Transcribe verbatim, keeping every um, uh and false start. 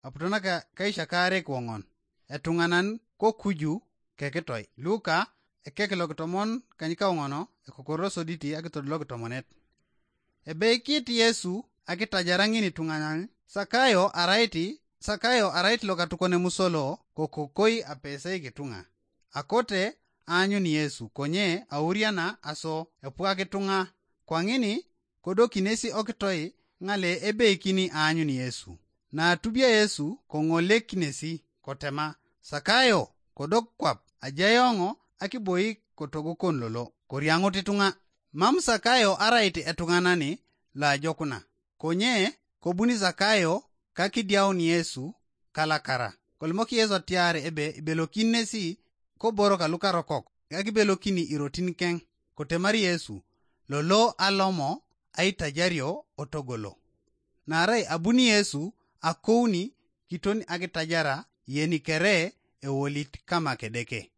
Aputo naka kaisha kaarek woŋon. Etuŋanan ko kuju kekitoi. Luka ekek lokitomon kanyikawoŋono, ekokorosoditi akitod lokitomonet. Ebeikit Yesu akitajara ŋin ituŋanan. Sakayo arait, Sakayo arait lokatukon emusolo, kokokoi apesei kituŋa. Akote aanyun Yesu, konye auriana aso epwak ituŋa. Kwaŋini kodo kinesi okitoi ŋale ebeikini aanyun Yesu. Naatubia Yesu koŋolek kinesi, kotema, "Sakayo, kodok kwap, ajai eoŋ akiboi kotogokon lolo, koriaŋut ituŋa." Mam Sakayo arait etuŋanani loajokuna. Konye kobuni Sakayo kakidiaun Yesu kalakara. Kolimok Yesu atiar ebe ibelokin nesi koborok alukarokok, akibelokini irotin keŋ. Kotemar Yesu, "Lolo alomo aitajario otogolo." Naarai abuni Yesu akouni kiton akitajara yeni kere ewolit kama Kedeke.